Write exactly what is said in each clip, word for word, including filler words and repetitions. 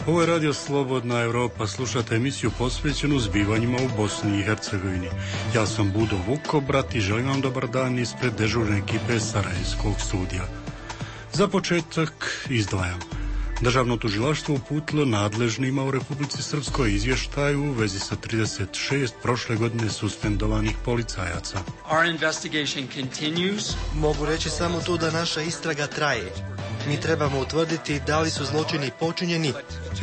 Ovo je Radio Slobodna Evropa, slušate emisiju posvećenu zbivanjima u Bosni i Hercegovini. Ja sam Budo Vukobrat i želim vam dobar dan ispred dežurne ekipe Sarajevskog studija. Za početak izdvajam. Državno tužilaštvo uputilo nadležnima u Republici Srpskoj izvještaju u vezi sa trideset šest prošle godine suspendovanih policajaca. Our investigation continues. Mogu reći samo to da naša istraga traje. Mi trebamo utvrditi da li su zločini počinjeni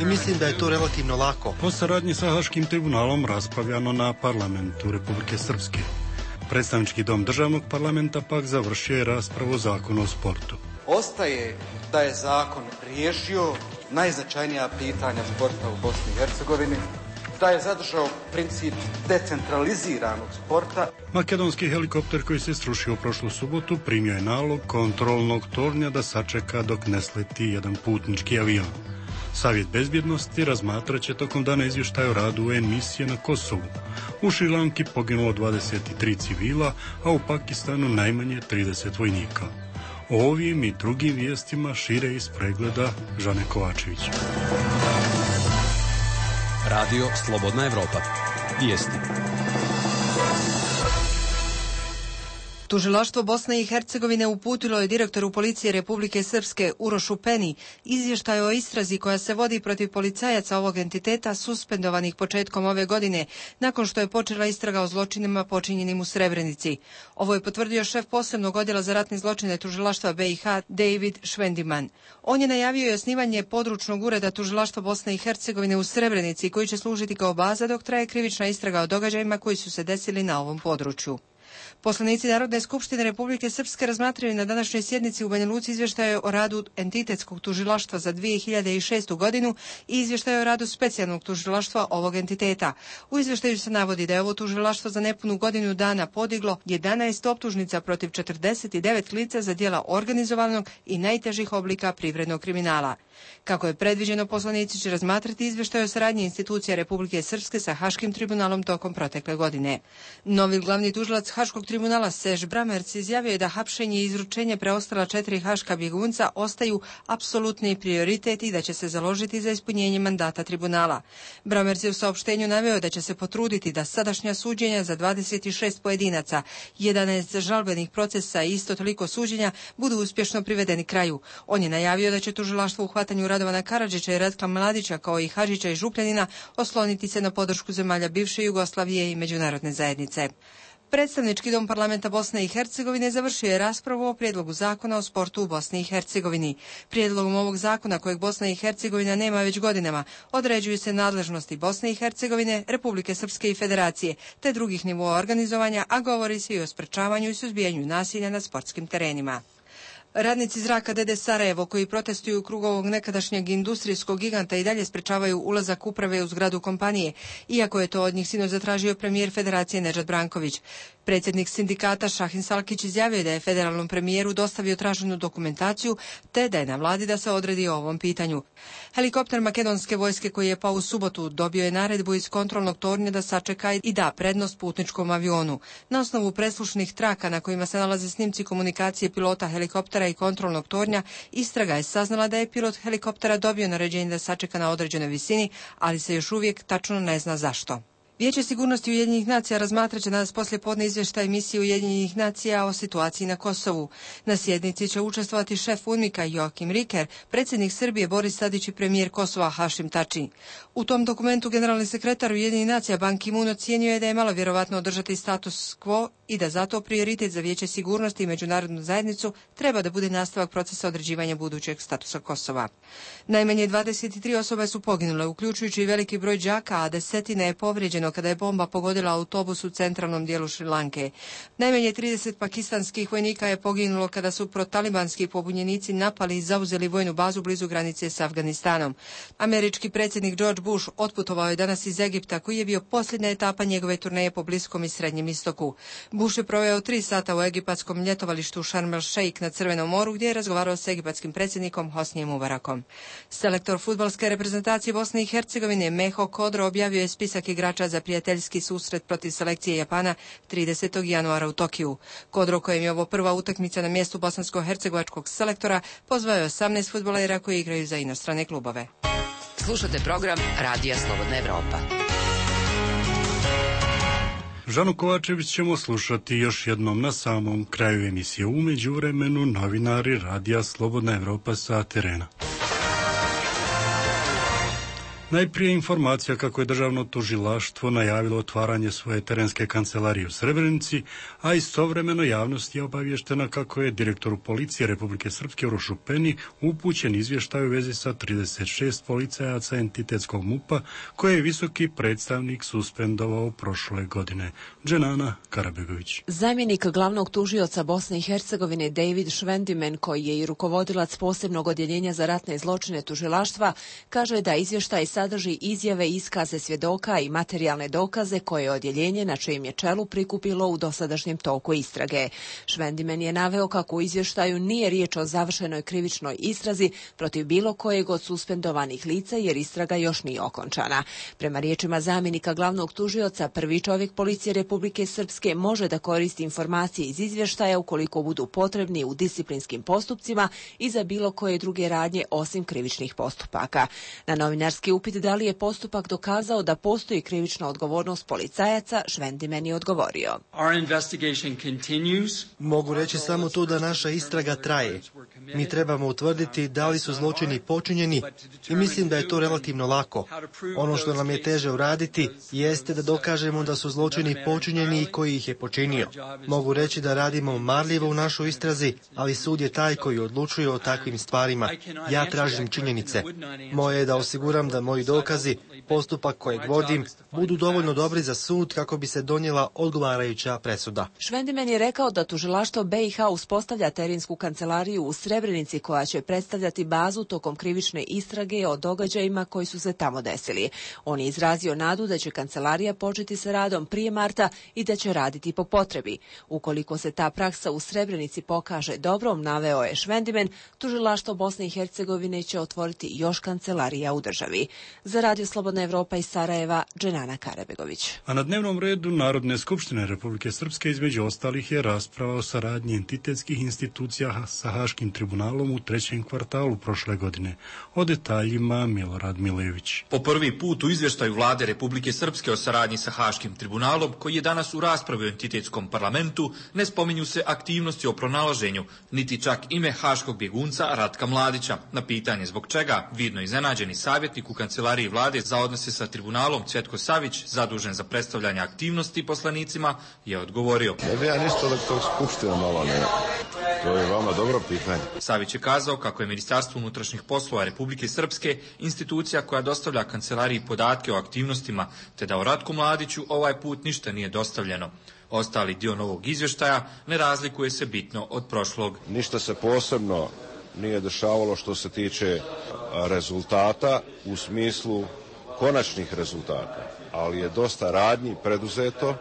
i mislim da je to relativno lako. Po saradnji sa Haškim tribunalom raspravljano na parlamentu Republike Srpske. Predstavnički dom državnog parlamenta pak završio je raspravu o zakonu o sportu. Ostaje da je zakon riješio najznačajnija pitanja sporta u Bosni i Hercegovini, da je zadržao princip decentraliziranog sporta. Makedonski helikopter koji se srušio prošlu subotu primio je nalog kontrolnog tornja da sačeka dok ne sleti jedan putnički avion. Savjet bezbjednosti razmatrat će tokom dana izvještaj o radu U N misije na Kosovu. U Šrilanki poginulo dvadeset tri civila, a u Pakistanu najmanje trideset vojnika. O ovim i drugim vijestima šire iz pregleda Žane Kovačević. Radio Slobodna Evropa. Vijesti. Tužilaštvo Bosne i Hercegovine uputilo je direktoru policije Republike Srpske Urošu Peni izvještaj o istrazi koja se vodi protiv policajaca ovog entiteta suspendovanih početkom ove godine, nakon što je počela istraga o zločinima počinjenim u Srebrenici. Ovo je potvrdio šef posebnog odjela za ratne zločine tužilaštva B i H David Švendiman. On je najavio i osnivanje područnog ureda tužilaštva Bosne i Hercegovine u Srebrenici, koji će služiti kao baza dok traje krivična istraga o događajima koji su se desili na ovom području. Poslanici Narodne skupštine Republike Srpske razmatraju na današnjoj sjednici u Banja Luci izvještaje o radu entitetskog tužilaštva za dvije hiljade šestu godinu i izvještaje o radu specijalnog tužilaštva ovog entiteta. U izvještaju se navodi da je ovo tužilaštvo za nepunu godinu dana podiglo jedanaest optužnica protiv četrdeset devet lica za djela organizovanog i najtežih oblika privrednog kriminala. Kako je predviđeno, poslanici će razmatrati izvještaj o saradnji institucija Republike Srpske sa Haškim tribunalom tokom protekle godine. Novi glavni tužilac Haškog tribunala Sež Bramerc izjavio je da hapšenje i izručenje preostala četiri haška bjegunca ostaju apsolutni prioritet i da će se založiti za ispunjenje mandata tribunala. Bramerc je u saopštenju naveo da će se potruditi da sadašnja suđenja za dvadeset šest pojedinaca, jedanaest žalbenih procesa i isto toliko suđenja budu uspješno privedeni kraju. On je najavio da će tužilaštvo u hvatanju Radovana Karadžića i Ratka Mladića kao i Hadžića i Župljanina osloniti se na podršku zemalja bivše Jugoslavije i međunarodne zajednice. Predstavnički dom parlamenta Bosne i Hercegovine završio je raspravu o prijedlogu zakona o sportu u Bosni i Hercegovini. Prijedlogom ovog zakona, kojeg Bosna i Hercegovina nema već godinama, određuju se nadležnosti Bosne i Hercegovine, Republike Srpske i Federacije, te drugih nivoa organizovanja, a govori se i o sprečavanju i suzbijanju nasilja na sportskim terenima. Radnici zraka D D Sarajevo, koji protestuju u krugu ovog nekadašnjeg industrijskog giganta, i dalje sprečavaju ulazak uprave u zgradu kompanije, iako je to od njih sinoć zatražio premijer Federacije Nedžad Branković. Predsjednik sindikata Šahin Salkić izjavio da je federalnom premijeru dostavio traženu dokumentaciju, te da je na vladi da se odredi o ovom pitanju. Helikopter makedonske vojske koji je pao u subotu dobio je naredbu iz kontrolnog tornja da sačeka i da prednost putničkom avionu. Na osnovu preslušnih traka na kojima se nalaze snimci komunikacije pilota helikoptera i kontrolnog tornja, istraga je saznala da je pilot helikoptera dobio naređenje da sačeka na određenoj visini, ali se još uvijek tačno ne zna zašto. Vijeće sigurnosti Ujedinjenih nacija razmatrat će danas poslije podne izvještaj misije Ujedinjenih nacija o situaciji na Kosovu. Na sjednici će učestvovati šef UNMIK-a Joakim Riker, predsjednik Srbije Boris Tadić i premijer Kosova Hašim Tači. U tom dokumentu generalni sekretar Ujedinjenih nacija Ban Ki-moon ocijenio je da je malo vjerovatno održati status quo i da zato prioritet za Vijeće sigurnosti i međunarodnu zajednicu treba da bude nastavak procesa određivanja budućeg statusa Kosova. Najmanje dvadeset tri osobe su poginule, uključujući i veliki broj đaka, a desetine je povrijeđeno kada je bomba pogodila autobus u centralnom dijelu Šrilanke. Najmanje trideset pakistanskih vojnika je poginulo kada su protalibanski pobunjenici napali i zauzeli vojnu bazu blizu granice s Afganistanom. Američki predsjednik George Bush otputovao je danas iz Egipta, koji je bio posljednja etapa njegove turneje po Bliskom i Srednjem istoku. Bush je proveo tri sata u egipatskom ljetovalištu Sharm el Sheikh na Crvenom moru, gdje je razgovarao s egipatskim predsjednikom Hosnijem Mubarakom. Selektor fudbalske reprezentacije Bosne i Hercegovine Meho Kodro objavio je spisak igrača za prijateljski susret protiv selekcije Japana tridesetog januara u Tokiju. Kodro, kojem je ovo prva utakmica na mjestu bosansko-hercegovačkog selektora, pozvao je osamnaest fudbalera koji igraju za inostrane klubove. Slušate program Radija Slobodna Evropa. Žanu Kovačević ćemo slušati još jednom na samom kraju emisije. U međuvremenu novinari Radija Slobodna Evropa sa terena. Najprije informacija kako je državno tužilaštvo najavilo otvaranje svoje terenske kancelarije u Srebrenici, a istovremeno javnost je obavještena kako je direktoru policije Republike Srpske Urošu Peni upućen izvještaj u vezi sa trideset šest policajaca entitetskog MUP-a koje je visoki predstavnik suspendovao prošle godine. Dženana Karabegović. Zamjenik glavnog tužioca Bosne i Hercegovine David Švendimen, koji je i rukovodilac posebnog odjeljenja za ratne zločine tužilaštva, kaže da izvještaj sadrži izjave, iskaze svjedoka i materijalne dokaze koje je odjeljenje na čijem je čelu prikupilo u dosadašnjem toku istrage. Švendimen je naveo kako u izvještaju nije riječ o završenoj krivičnoj istrazi protiv bilo kojeg od suspendovanih lica jer istraga još nije okončana. Prema riječima zamjenika glavnog tužioca, prvi čovjek policije Republike Srpske može da koristi informacije iz izvještaja ukoliko budu potrebni u disciplinskim postupcima i za bilo koje druge radnje osim krivičnih postupaka. Na novinarski upit da li je postupak dokazao da postoji krivična odgovornost policajaca, Švendimen je odgovorio. Our investigation continues. Mogu reći samo to da naša istraga traje. Mi trebamo utvrditi da li su zločini počinjeni i mislim da je to relativno lako. Ono što nam je teže uraditi jeste da dokažemo da su zločini počinjeni i koji ih je počinio. Mogu reći da radimo marljivo u našoj istrazi, ali sud je taj koji odlučuje o takvim stvarima. Ja tražim činjenice. Moje je da osiguram da moji dokazi, postupak kojeg vodim, budu dovoljno dobri za sud kako bi se donijela odgovarajuća presuda. Švendimen je rekao da tužilaštvo B i H uspostavlja terensku kancelariju u Srebrenici koja će predstavljati bazu tokom krivične istrage o događajima koji su se tamo desili. On je izrazio nadu da će kancelarija početi sa radom prije marta i da će raditi po potrebi. Ukoliko se ta praksa u Srebrenici pokaže dobrom, naveo je Švendimen, tužilaštvo Bosne i Hercegovine će otvoriti još kancelarija u državi. Za Radio Slobodna Evropa iz Sarajeva, Dženana Karabegović. A na dnevnom redu Narodne skupštine Republike Srpske između ostalih je rasprava o saradnji entitetskih institucija sa Haškim tribunalom u trećem kvartalu prošle godine. O detaljima Milorad Milević. Po prvi put u izvještaju Vlade Republike Srpske o saradnji sa Haškim tribunalom, koji je danas u raspravi u entitetskom parlamentu, ne spominju se aktivnosti o pronalaženju, niti čak ime haškog bjegunca Ratka Mladića. Na pitanje zbog čega, vidno iznenađeni savjetnik u kancelariji Vlade za odnose sa tribunalom Cvjetko Savić, zadužen za predstavljanje aktivnosti poslanicima, je odgovorio. Ne bi ja ništa da tog skupština malo ne. To je vama dobro pitanje. Savić je kazao kako je Ministarstvo unutrašnjih poslova Republike Srpske institucija koja dostavlja kancelariji podatke o aktivnostima, te da o Ratku Mladiću ovaj put ništa nije dostavljeno. Ostali dio novog izvještaja ne razlikuje se bitno od prošlog. Ništa se posebno nije dešavalo što se tiče rezultata u smislu konačnih rezultata, ali je dosta radnji preduzeto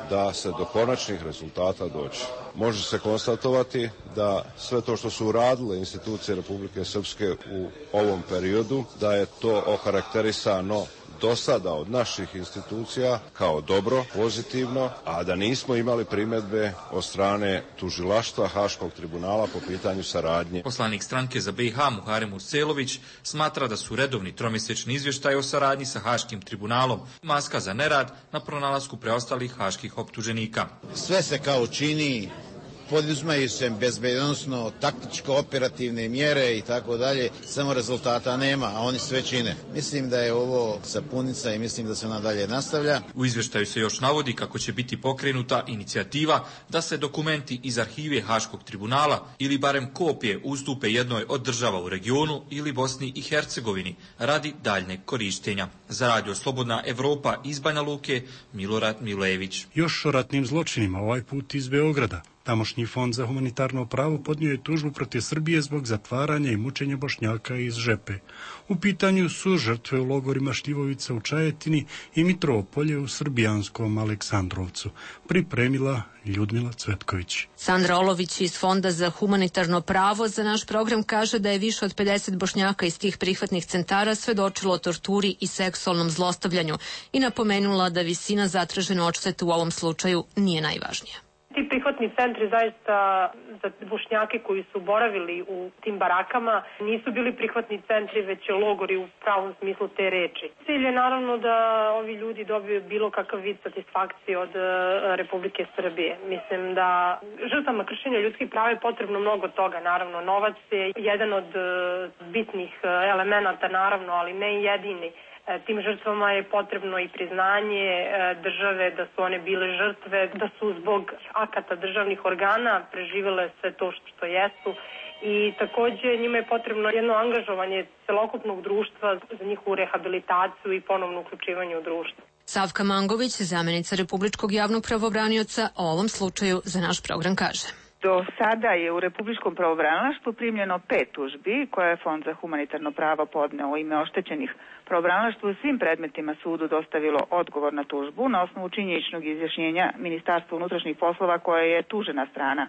da se do konačnih rezultata dođe. Može se konstatovati da sve to što su uradile institucije Republike Srpske u ovom periodu, da je to okarakterisano do sada od naših institucija kao dobro, pozitivno, a da nismo imali primjedbe od strane tužilaštva Haškog tribunala po pitanju saradnje. Poslanik stranke za B i H Muharem Urselović smatra da su redovni tromjesečni izvještaj o saradnji sa Haškim tribunalom maska za nerad na pronalasku preostalih haških optuženika. Sve se kao čini, poduzimaju se bezbednosno, taktičko-operativne mjere i tako dalje, samo rezultata nema, a oni sve čine. Mislim da je ovo sapunica i mislim da se ona dalje nastavlja. U izvještaju se još navodi kako će biti pokrenuta inicijativa da se dokumenti iz arhive Haškog tribunala ili barem kopije ustupe jednoj od država u regionu ili Bosni i Hercegovini radi daljnjeg korištenja. Za Radio Slobodna Evropa iz Banja Luke, Milorad Milević. Još o ratnim zločinima, ovaj put iz Beograda. Tamošnji fond za humanitarno pravo podnio je tužbu protiv Srbije zbog zatvaranja i mučenja Bošnjaka iz Žepe. U pitanju su žrtve u logorima Šljivovica u Čajetini i Mitropolje u srbijanskom Aleksandrovcu. Pripremila Ljudmila Cvetković. Sandra Olović iz Fonda za humanitarno pravo za naš program kaže da je više od pedeset Bošnjaka iz tih prihvatnih centara svedočilo o torturi i seksualnom zlostavljanju i napomenula da visina zatražene odštete u ovom slučaju nije najvažnija. Ti prihvatni centri zaista za Bošnjake koji su boravili u tim barakama nisu bili prihvatni centri, već logori u pravom smislu te reči. Cilj je naravno da ovi ljudi dobiju bilo kakav vid satisfakcije od Republike Srbije. Mislim da žrtvama kršenja ljudskih prava je potrebno mnogo toga. Naravno, novac je jedan od bitnih elemenata, naravno, ali ne jedini. Tim žrtvama je potrebno i priznanje države da su one bile žrtve, da su zbog akata državnih organa preživele sve to što jesu i takođe njima je potrebno jedno angažovanje celokupnog društva za njihovu rehabilitaciju i ponovno uključivanje u društvo. Savka Mangović, zamenica Republičkog javnog pravobranioca, o ovom slučaju za naš program kaže. Do sada je u Republičkom pravobranilaštvu primljeno pet tužbi koje je Fond za humanitarno pravo podneo u ime oštećenih. Pravobranilaštvo u svim predmetima sudu dostavilo odgovor na tužbu na osnovu činjeničnog izjašnjenja Ministarstva unutrašnjih poslova koje je tužena strana.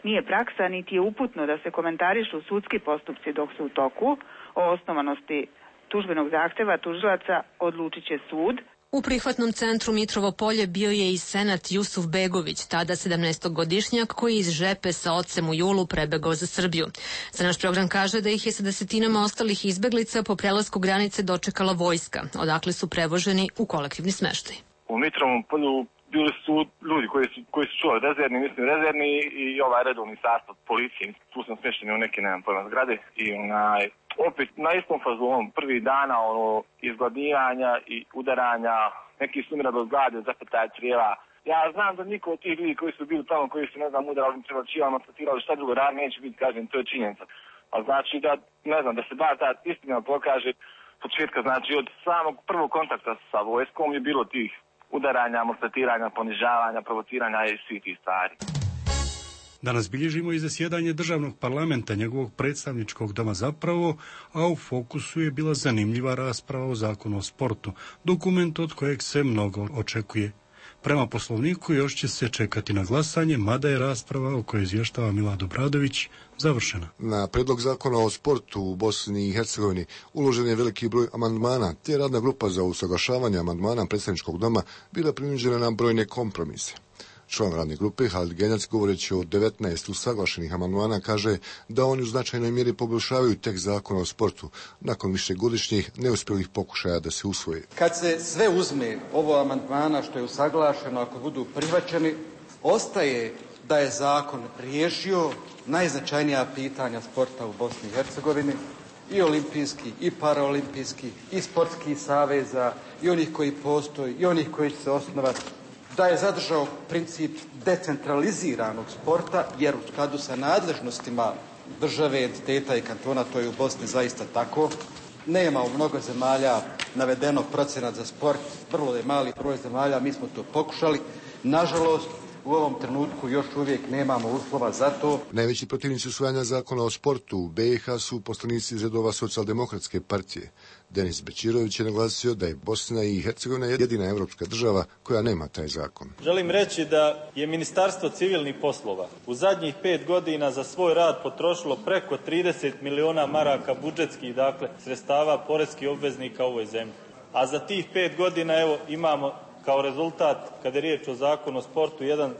Nije praksa niti je uputno da se komentarišu sudski postupci dok su u toku. O osnovanosti tužbenog zahteva tužilaca odlučit će sud. U prihvatnom centru Mitrovo Polje bio je i senat Jusuf Begović, tada sedamnaestogodišnjak koji iz Žepe sa ocem u julu prebegao za Srbiju. Za naš program kaže da ih je sa desetinama ostalih izbeglica po prelasku granice dočekala vojska, odakle su prevoženi u kolektivni smeštaj. U Mitrovom Polju bili su ljudi koji su, koji su čuvali rezervni, mislim rezervni i ovaj redovni sastav policije. Tu sam smješteni u neke, nemam pojma, zgrade i onaj, opet na istom fazonu, prvi dana ono, izgladnijanja i udaranja, neki su umirali od glade, zapetaj crijeva. Ja znam da niko od tih ljudi koji su bili tamo, koji su, ne znam, udarali, prevačivali, maltretirali, šta drugo radi, neće biti, kažem, to je činjenica. A znači da, ne znam, da se bar ta istina pokaže početka, znači od samog prvog kontakta sa vojskom je bilo tih udaranja, maltretiranja, ponižavanja, provociranja i svih tih stvari. Danas bilježimo i zasjedanje državnog parlamenta, njegovog predstavničkog doma zapravo, a u fokusu je bila zanimljiva rasprava o zakonu o sportu, dokument od kojeg se mnogo očekuje. Prema poslovniku još će se čekati na glasanje, mada je rasprava o kojoj izvještava Milad Obradović završena. Na predlog zakona o sportu u Bosni i Hercegovini uložen je veliki broj amandmana, te radna grupa za usaglašavanje amandmana predstavničkog doma bila prinuđena na brojne kompromise. Član radne grupe Halid Genjac, govoreći o devetnaest usaglašenih amandmana, kaže da oni u značajnoj mjeri poboljšavaju tekst zakona o sportu nakon višegodišnjih neuspjelih pokušaja da se usvoji. Kad se sve uzme ovo amandmana što je usaglašeno, ako budu prihvaćeni, ostaje da je zakon riješio najznačajnija pitanja sporta u Bosni i Hercegovini, i olimpijski, i paraolimpijski, i sportskih saveza, i onih koji postoji, i onih koji će se osnovati, da je zadržao princip decentraliziranog sporta, jer u skladu sa nadležnostima države, entiteta i kantona, to je u Bosni zaista tako. Nema u mnogo zemalja navedeno procenat za sport, vrlo je mali broj zemalja, mi smo to pokušali. Nažalost, u ovom trenutku još uvijek nemamo uslova za to. Najveći protivnici usvajanja zakona o sportu u B i H su poslanici iz redova Socijaldemokratske partije. Denis Bećirović je naglasio da je Bosna i Hercegovina jedina evropska država koja nema taj zakon. Želim reći da je Ministarstvo civilnih poslova u zadnjih pet godina za svoj rad potrošilo preko trideset miliona maraka budžetskih, dakle, sredstava poreskih obveznika u ovoj zemlji. A za tih pet godina, evo, imamo kao rezultat, kada je riječ o zakonu o sportu, jedan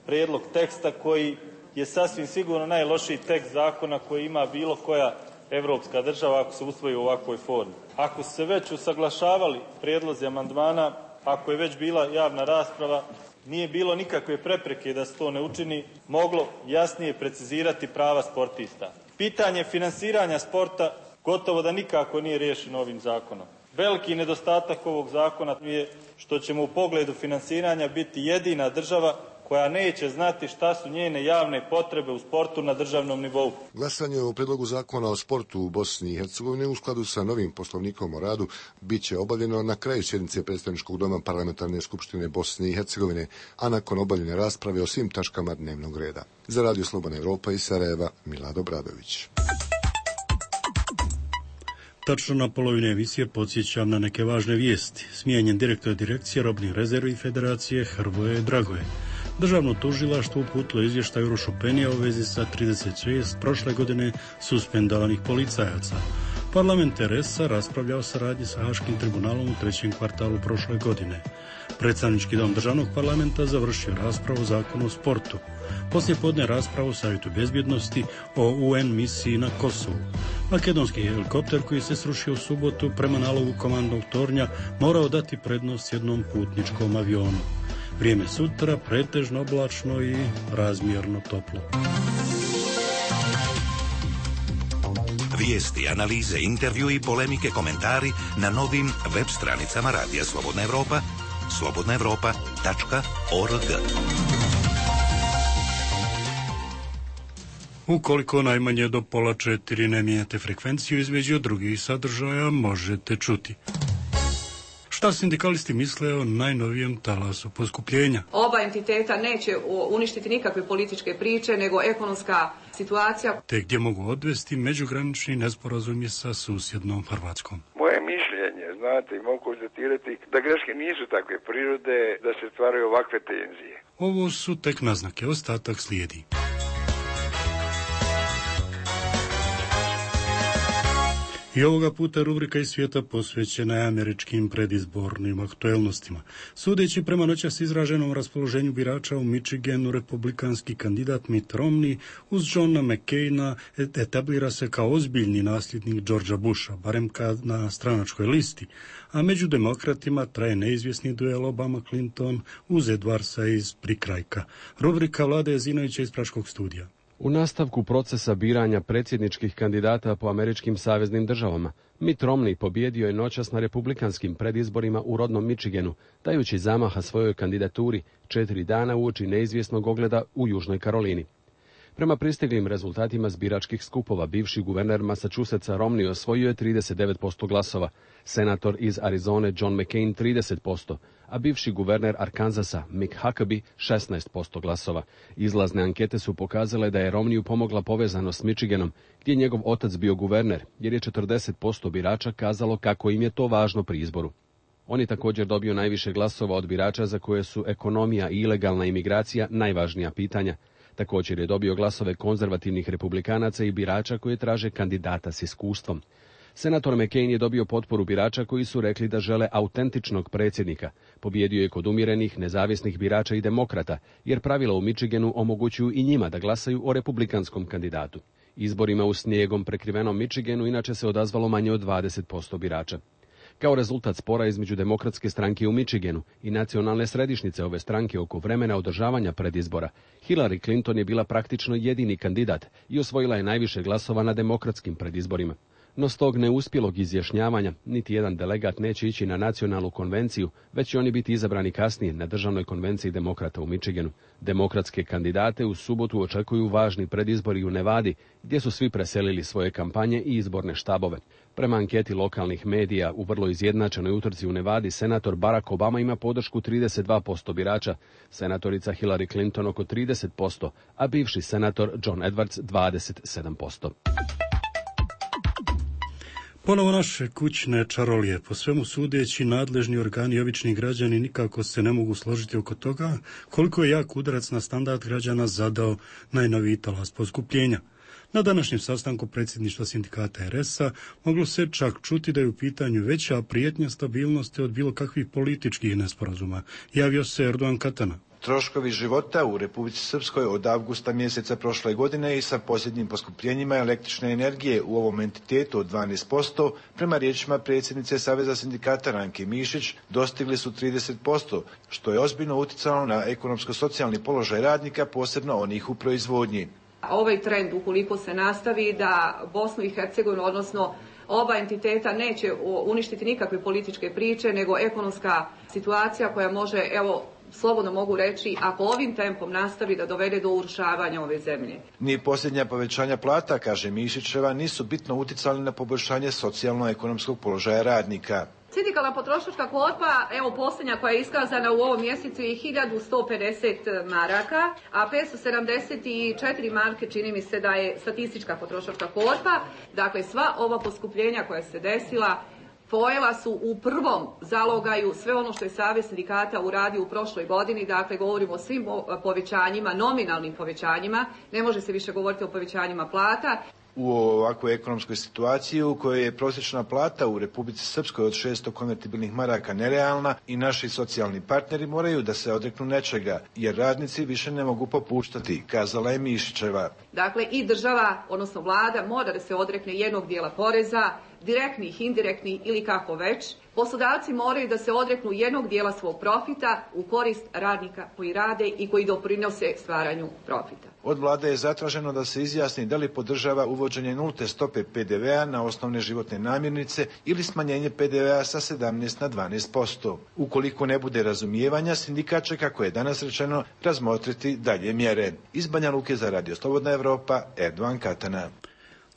prijedlog teksta koji je sasvim sigurno najlošiji tekst zakona koji ima bilo koja evropska država ako se usvoji u ovakvoj formi. Ako su se već usaglašavali prijedlozi amandmana, ako je već bila javna rasprava, nije bilo nikakve prepreke da se to ne učini, moglo jasnije precizirati prava sportista. Pitanje finansiranja sporta gotovo da nikako nije riješeno ovim zakonom. Veliki nedostatak ovog zakona je što ćemo u pogledu finansiranja biti jedina država koja neće znati šta su njene javne potrebe u sportu na državnom nivou. Glasanje o predlogu zakona o sportu u Bosni i Hercegovini u skladu sa novim poslovnikom o radu bit će obavljeno na kraju sjednice predstavničkog doma Parlamentarne skupštine Bosne i Hercegovine, a nakon obavljene rasprave o svim tačkama dnevnog reda. Za Radio Slobodna Evropa iz Sarajeva, Milad Obradović. Tačno na polovine emisije podsjećam na neke važne vijesti. Smijenjen direktor direkcije robnih rezervi Federacije Hrvoje Dragoje. Državno tužilaštvo uputilo izvještaj Urošu Penija u vezi sa trideset šest prošle godine suspendovanih policajaca. Parlament R S-a raspravlja o saradnji sa Haškim tribunalom u trećem kvartalu prošle godine. Predstavnički dom državnog parlamenta završio raspravu o zakonu o sportu. Poslije podne raspravu u Savjetu bezbjednosti o U N misiji na Kosovu. Makedonski helikopter koji se srušio u subotu prema nalogu komandnog tornja morao dati prednost jednom putničkom avionu. Vrijeme sutra pretežno oblačno i razmjerno toplo. Vijesti, analize, intervju i polemike, komentari na novim web stranicama Radija Slobodna Evropa, slobodna evropa tačka org. Ukoliko najmanje do pola četiri ne mijenjate frekvenciju između drugih sadržaja, možete čuti. Šta sindikalisti misle o najnovijem talasu poskupljenja? Oba entiteta neće uništiti nikakve političke priče, nego ekonomska situacija. Te gdje mogu odvesti međugranični nesporazumi sa susjednom Hrvatskom. Moje mišljenje, znate, i mogu konstatirati da greške nisu takve prirode da se stvaraju ovakve tenzije. Ovo su tek naznake, ostatak slijedi. I ovoga puta rubrika iz svijeta posvećena je američkim predizbornim aktuelnostima. Sudeći prema noćas izraženom raspoloženju birača u Michiganu, republikanski kandidat Mitt Romney uz Johna McCaina etablira se kao ozbiljni nasljednik Georgea Busha, barem kad na stranačkoj listi, a među demokratima traje neizvjesni duel Obama-Clinton uz Edwardsa iz prikrajka. Rubrika Vlade Jezinovića iz Praškog studija. U nastavku procesa biranja predsjedničkih kandidata po američkim saveznim državama, Mitt Romney pobjedio je noćas na republikanskim predizborima u rodnom Michiganu, dajući zamaha svojoj kandidaturi četiri dana uoči neizvjesnog ogleda u Južnoj Karolini. Prema pristiglim rezultatima s biračkih skupova, bivši guverner Massachusettsa Romney osvojio je trideset devet posto glasova, senator iz Arizone John McCain trideset posto, a bivši guverner Arkansasa Mick Huckabee šesnaest posto glasova. Izlazne ankete su pokazale da je Romneyu pomogla povezanost s Michiganom, gdje je njegov otac bio guverner, jer je četrdeset posto birača kazalo kako im je to važno pri izboru. On je također dobio najviše glasova od birača za koje su ekonomija i ilegalna imigracija najvažnija pitanja. Također je dobio glasove konzervativnih republikanaca i birača koji traže kandidata s iskustvom. Senator McCain je dobio potporu birača koji su rekli da žele autentičnog predsjednika. Pobjedio je kod umjerenih, nezavisnih birača i demokrata, jer pravila u Michiganu omogućuju i njima da glasaju o republikanskom kandidatu. Izborima u snijegom prekrivenom Michiganu inače se odazvalo manje od dvadeset posto birača. Kao rezultat spora između demokratske stranke u Michiganu i nacionalne središnjice ove stranke oko vremena održavanja predizbora, Hillary Clinton je bila praktično jedini kandidat i osvojila je najviše glasova na demokratskim predizborima. No s tog neuspjelog izjašnjavanja niti jedan delegat neće ići na nacionalnu konvenciju, već će oni biti izabrani kasnije na državnoj konvenciji demokrata u Michiganu. Demokratske kandidate u subotu očekuju važni predizbori u Nevadi, gdje su svi preselili svoje kampanje i izborne štabove. Prema anketi lokalnih medija u vrlo izjednačenoj utrci u Nevadi, senator Barack Obama ima podršku trideset dva posto birača, senatorica Hillary Clinton oko trideset posto, a bivši senator John Edwards dvadeset sedam posto. Ponovo naše kućne čarolije, po svemu sudeći nadležni organi i obični građani nikako se ne mogu složiti oko toga koliko je jak udarac na standard građana zadao najnoviji talas poskupljenja. Na današnjem sastanku predsjedništva sindikata R S-a moglo se čak čuti da je u pitanju veća prijetnja stabilnosti od bilo kakvih političkih nesporazuma, javio se Erdogan Katana. Troškovi života u Republici Srpskoj od avgusta mjeseca prošle godine i sa posljednjim poskupljenjima električne energije u ovom entitetu od dvanaest posto, prema riječima predsjednice Saveza sindikata Ranke Mišić, dostigli su trideset posto, što je ozbiljno utjecalo na ekonomsko-socijalni položaj radnika, posebno onih u proizvodnji. Ovaj trend, ukoliko se nastavi, da Bosnu i Hercegovinu, odnosno oba entiteta, neće uništiti nikakve političke priče, nego ekonomska situacija koja može, evo, slobodno mogu reći, ako ovim tempom nastavi, da dovede do urušavanja ove zemlje. Ni posljednja povećanja plata, kaže Mišićeva, nisu bitno utjecali na poboljšanje socijalno-ekonomskog položaja radnika. Sindikalna potrošačka korpa, evo posljednja koja je iskazana u ovom mjesecu, je hiljadu sto pedeset maraka, a petsto sedamdeset četiri marke čini mi se da je statistička potrošačka korpa. Dakle, sva ova poskupljenja koja se desila pojela su u prvom zalogaju sve ono što je Savez sindikata uradio u prošloj godini, dakle govorimo o svim povećanjima, nominalnim povećanjima, ne može se više govoriti o povećanjima plata. U ovakvoj ekonomskoj situaciji u kojoj je prosječna plata u Republici Srpskoj od šesto konvertibilnih maraka nerealna i naši socijalni partneri moraju da se odreknu nečega, jer radnici više ne mogu popuštati, kazala je Mišićeva. Dakle, i država, odnosno vlada, mora da se odrekne jednog dijela poreza, direktnih, indirektnih ili kako već. Poslodavci moraju da se odreknu jednog dijela svog profita u korist radnika koji rade i koji doprinose stvaranju profita. Od vlade je zatraženo da se izjasni da li podržava uvođenje nulte stope pe de ve a na osnovne životne namirnice ili smanjenje pe de ve a sa sedamnaest na dvanaest posto. Ukoliko ne bude razumijevanja, sindikat će, kako je danas rečeno, razmotriti dalje mjere. Iz Banja Luke za Radio Slobodna Evropa, Erdovan Katana.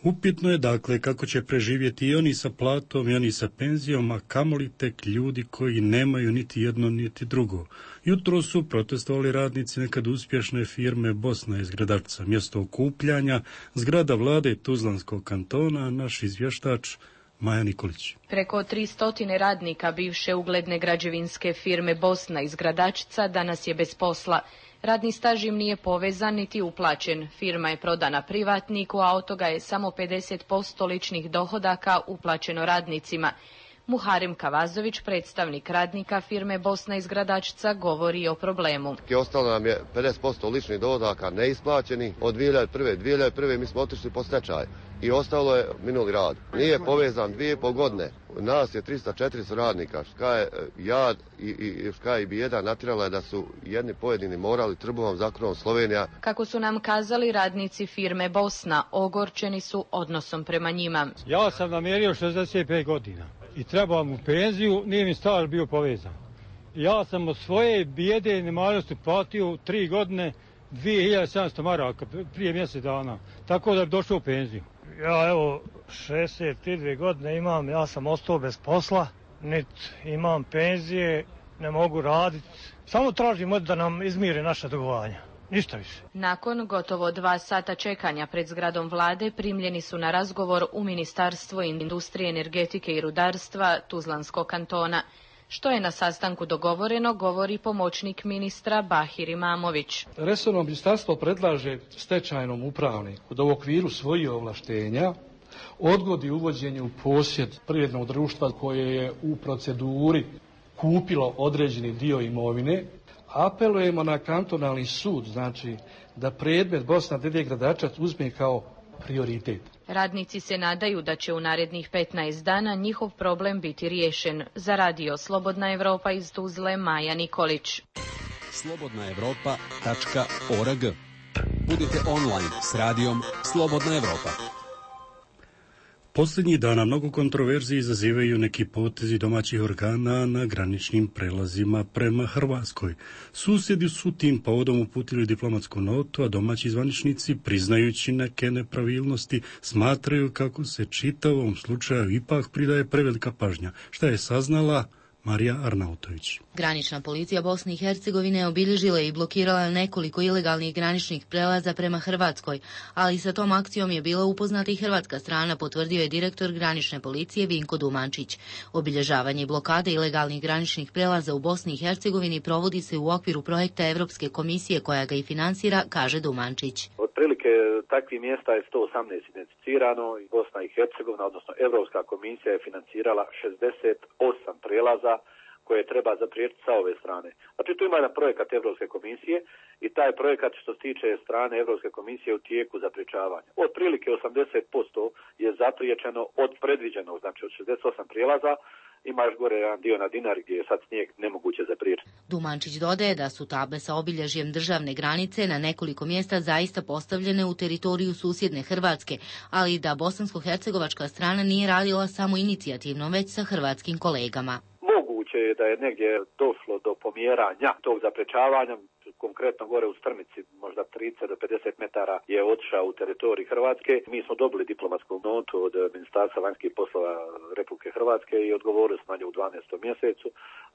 Upitno je dakle kako će preživjeti i oni sa platom i oni sa penzijom, a kamoli tek ljudi koji nemaju niti jedno niti drugo. Jutro su protestovali radnici nekad uspješne firme Bosna iz Gradačca. Mjesto okupljanja zgrada vlade Tuzlanskog kantona, naš izvještač Maja Nikolić. Preko tristo radnika bivše ugledne građevinske firme Bosna iz Gradačca danas je bez posla. Radni staž im nije povezan niti uplaćen. Firma je prodana privatniku, a od toga je samo pedeset posto ličnih dohodaka uplaćeno radnicima. Muharem Kavazović, predstavnik radnika firme Bosna iz Gradačca, govori o problemu. Ostalo nam je pedeset posto ličnih dohodaka neisplaćeni. Od dvije hiljade prve. dvije hiljade prve. mi smo otišli po stečaj i ostalo je minuli rad. Nije povezan dvije i pol godine. Nas je tristo četiristo radnika. Ška je jad i, i ška je bijeda natjerala je da su jedni pojedini morali trbuhom zakrovom Slovenija. Kako su nam kazali radnici firme Bosna, ogorčeni su odnosom prema njima. Ja sam namjerio šezdeset pet godina i trebao mu penziju, nije mi staž bio povezan. Ja sam od svoje bijede i nemarnosti platio tri godine dvije hiljade sedamsto maraka prije mjesec dana, tako da bi došao u penziju. Ja evo šezdeset dvije godine imam, ja sam ostao bez posla, niti imam penzije, ne mogu raditi. Samo tražimo da nam izmire naša dugovanja. Ništa više. Nakon gotovo dva sata čekanja pred zgradom vlade primljeni su na razgovor u Ministarstvo industrije, energetike i rudarstva Tuzlanskog kantona. Što je na sastanku dogovoreno, govori pomoćnik ministra Bahir Imamović. Resorno ministarstvo predlaže stečajnom upravniku da u okviru svojih ovlaštenja odgodi uvođenje u posjed privrednog društva koje je u proceduri kupilo određeni dio imovine. Apelujemo na kantonalni sud, znači da predmet Bosna D D Gradačac uzme kao prioritet. Radnici se nadaju da će u narednih petnaest dana njihov problem biti riješen. Za Radio Slobodna Evropa iz Tuzle, Maja Nikolić. slobodna evropa tačka org. Budite online s radijom Slobodna Evropa. Posljednjih dana mnogo kontroverziji izazivaju neki potezi domaćih organa na graničnim prelazima prema Hrvatskoj. Susjedi su tim povodom uputili diplomatsku notu, a domaći zvaničnici, priznajući neke nepravilnosti, smatraju kako se čitavom slučaju ipak pridaje prevelika pažnja. Šta je saznala Marija Arnautović. Granična policija Bosne i Hercegovine obilježila i blokirala nekoliko ilegalnih graničnih prelaza prema Hrvatskoj, ali sa tom akcijom je bila upoznata i hrvatska strana, potvrdio je direktor granične policije Vinko Dumančić. Obilježavanje i blokade ilegalnih graničnih prelaza u Bosni i Hercegovini provodi se u okviru projekta Evropske komisije koja ga i finansira, kaže Dumančić. Otprilike takvih mjesta je sto osamnaest identificirano i Bosna i Hercegovina, odnosno Evropska komisija je financirala šezdeset osam prelaza koje treba zapriječiti sa ove strane. Znači tu ima jedan projekat Evropske komisije i taj projekat što se tiče strane Evropske komisije u tijeku zapriječavanja. Otprilike osamdeset posto je zapriječeno od predviđenog, znači od šezdeset osam prijelaza. Ima još gore jedan dio na Dinari gdje je sad snijeg nemoguće zapriječiti. Dumančić dodaje da su table sa obilježjem državne granice na nekoliko mjesta zaista postavljene u teritoriju susjedne Hrvatske, ali da bosansko-hercegovačka strana nije radila samo inicijativno, već sa hrvatskim kolegama. Moguće je da je negdje došlo do pomjeranja tog zaprečavanja, konkretno gore u Strmici, možda trideset do pedeset metara je otišao u teritorij Hrvatske. Mi smo dobili diplomatsku notu od Ministarstva vanjskih poslova Republike Hrvatske i odgovorili smo na nju u dvanaestom mjesecu,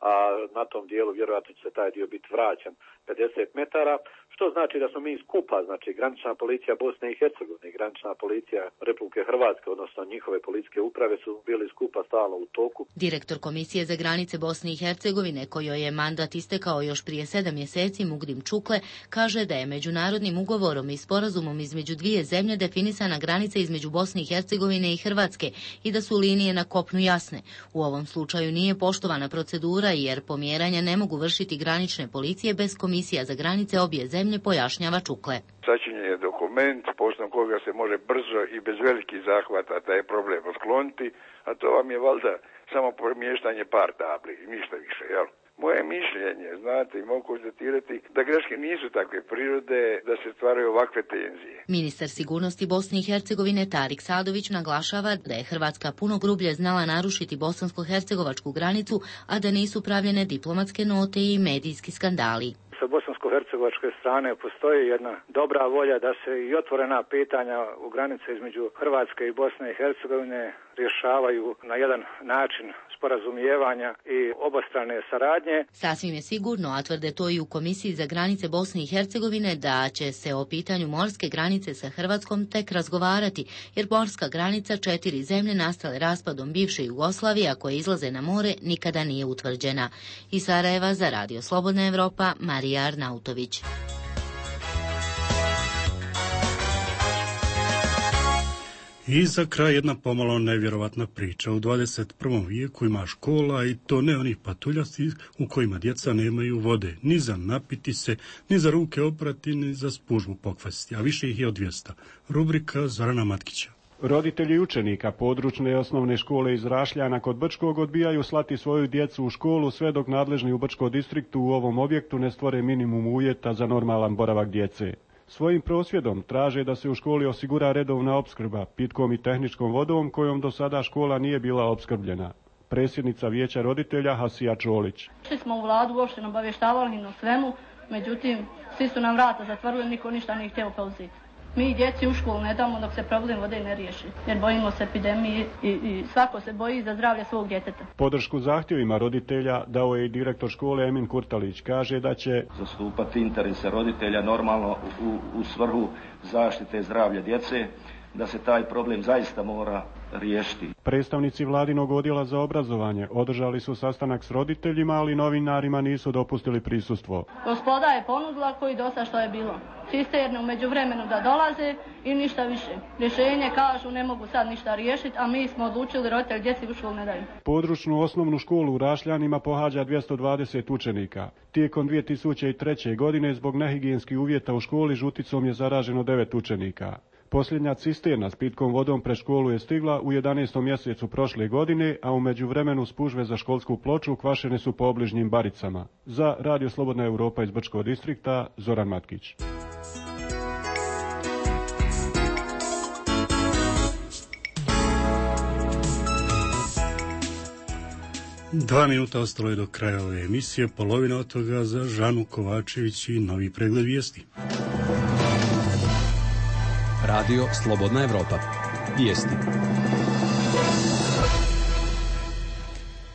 a na tom dijelu vjerojatno će se taj dio biti vraćan pedeset metara, što znači da smo mi skupa, znači granična policija Bosne i Hercegovine i granična policija Republike Hrvatske, odnosno njihove policijske uprave su bili skupa stalno u toku. Direktor Komisije za granice Bosne i Hercegovine, kojoj je mandat istekao još prije sedam mjeseci, Mugdin Muslim Čukle kaže da je međunarodnim ugovorom i sporazumom između dvije zemlje definisana granica između Bosne i Hercegovine i Hrvatske i da su linije na kopnu jasne. U ovom slučaju nije poštovana procedura jer pomjeranja ne mogu vršiti granične policije bez komisija za granice obje zemlje, pojašnjava Čukle. Sačinjen je dokument, poslom koga se može brzo i bez velikih zahvata taj problem otkloniti, a to vam je valjda samo premještanje par tabli i ništa više, jel? Moje mišljenje, znate, i mogu konstatirati da greške nisu takve prirode da se stvaraju ovakve tenzije. Ministar sigurnosti Bosne i Hercegovine Tarik Sadović naglašava da je Hrvatska puno grublje znala narušiti bosansko-hercegovačku granicu, a da nisu pravljene diplomatske note i medijski skandali. Sa bosansko-hercegovačke strane postoji jedna dobra volja da se i otvorena pitanja u granice između Hrvatske i Bosne i Hercegovine rješavaju na jedan način sporazumijevanja i obostrane saradnje. Sasvim je sigurno, a tvrde to i u Komisiji za granice Bosne i Hercegovine, da će se o pitanju morske granice sa Hrvatskom tek razgovarati, jer morska granica četiri zemlje nastale raspadom bivše Jugoslavije, a koje izlaze na more, nikada nije utvrđena. Iz Sarajeva za Radio Slobodna Evropa, Marija Arnautović. I za kraj jedna pomalo nevjerovatna priča. U dvadeset prvom vijeku ima škola i to ne onih patuljastih u kojima djeca nemaju vode, ni za napiti se, ni za ruke oprati, ni za spužvu pokvasiti, a više ih je od dvjesto. Rubrika Zorana Matkića. Roditelji učenika područne osnovne škole iz Rašljana kod Brčkog odbijaju slati svoju djecu u školu sve dok nadležni u Brčkom distriktu u ovom objektu ne stvore minimum uvjeta za normalan boravak djece. Svojim prosvjedom traže da se u školi osigura redovna opskrba pitkom i tehničkom vodom kojom do sada škola nije bila opskrbljena. Predsjednica vijeća roditelja Hasija Čolić. Šli smo u vladu, uopšte nam obavještavali na svemu, međutim, svi su nam vrata zatvorili, niko ništa nije htio preuzeti. Mi djeci u školu ne damo dok se problem vode ne riješi, jer bojimo se epidemije i, i svako se boji za zdravlje svog djeteta. Podršku zahtjevima roditelja dao je i direktor škole Emin Kurtalić. Kaže da će zastupati interese roditelja normalno u, u svrhu zaštite zdravlja djece, da se taj problem zaista mora riješiti. Predstavnici vladinog odjela za obrazovanje održali su sastanak s roditeljima, ali novinarima nisu dopustili prisustvo. Gospoda je ponudila koji dosta što je bilo. Cisterne u međuvremenu da dolaze i ništa više. Rješenje kažu ne mogu sad ništa riješiti, a mi smo odlučili roditelj djeci u školu ne daju. Područnu osnovnu školu u Rašljanima pohađa dvjesto dvadeset učenika. Tijekom dvije tisuće treće. godine zbog nehigijenskih uvjeta u školi žuticom je zaraženo devet učenika. Posljednja cisterna s pitkom vodom pred školu je stigla u jedanaestom mjesecu prošle godine, a u međuvremenu spužve za školsku ploču kvašene su po obližnjim baricama. Za Radio Slobodna Evropa iz Brčkog distrikta, Zoran Matkić. Dva minuta ostalo je do kraja ove emisije, polovina od toga za Žanu Kovačević i novi pregled vijesti. Radio Slobodna Evropa. Vijesti.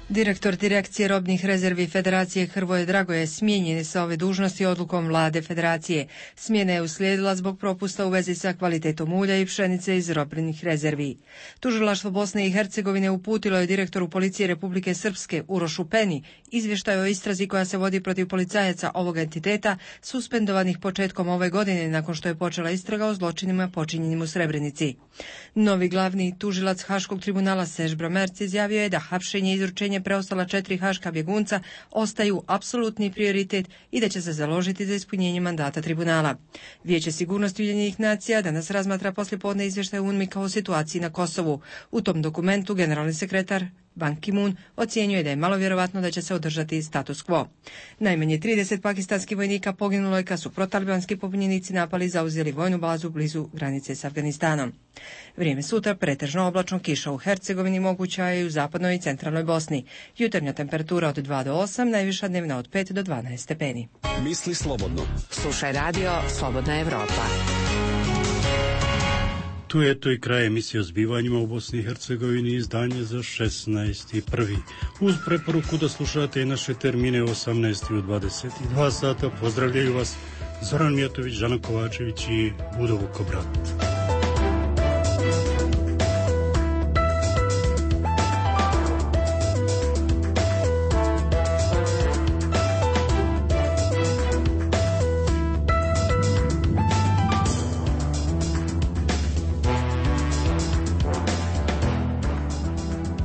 Direktor Direkcije robnih rezervi Federacije Hrvoje Dragoje smijenjen je sa ove dužnosti odlukom vlade Federacije. Smjena je uslijedila zbog propusta u vezi sa kvalitetom ulja i pšenice iz robnih rezervi. Tužilaštvo Bosne i Hercegovine uputilo je direktoru Policije Republike Srpske Urošu Peni izvještaj o istrazi koja se vodi protiv policajaca ovog entiteta suspendovanih početkom ove godine nakon što je počela istraga o zločinima počinjenim u Srebrenici. Novi glavni tužilac Haškog tribunala Serž Bromerc izjavio je da hapšenje i izručenje preostala četiri haška bjegunca ostaju apsolutni prioritet i da će se založiti za ispunjenje mandata tribunala. Vijeće sigurnosti Ujedinjenih nacija danas razmatra poslijepodne izvještaj U N M I K o situaciji na Kosovu. U tom dokumentu generalni sekretar Ban Ki-moon ocjenjuje da je malo vjerovatno da će se održati status quo. Najmanje trideset pakistanskih vojnika poginulo je kad su protalibanski pobunjenici napali i zauzeli vojnu bazu blizu granice s Afganistanom. Vrijeme sutra pretežno oblačno, kiša u Hercegovini moguća je i u zapadnoj i centralnoj Bosni. Jutarnja temperatura od dva do osam, najviša dnevna od pet do dvanaest stepeni. Misli slobodno. Slušaj Radio Slobodna Evropa. Tu je to i kraj emisije o zbivanjima u Bosni i Hercegovini, izdanje za šesnaesti prvi Uz preporuku da slušate i naše termine u osamnaest i u dvadeset dva sata, pozdravljaju vas Zoran Mijatović, Žana Kovačević i Budo Vukobrat.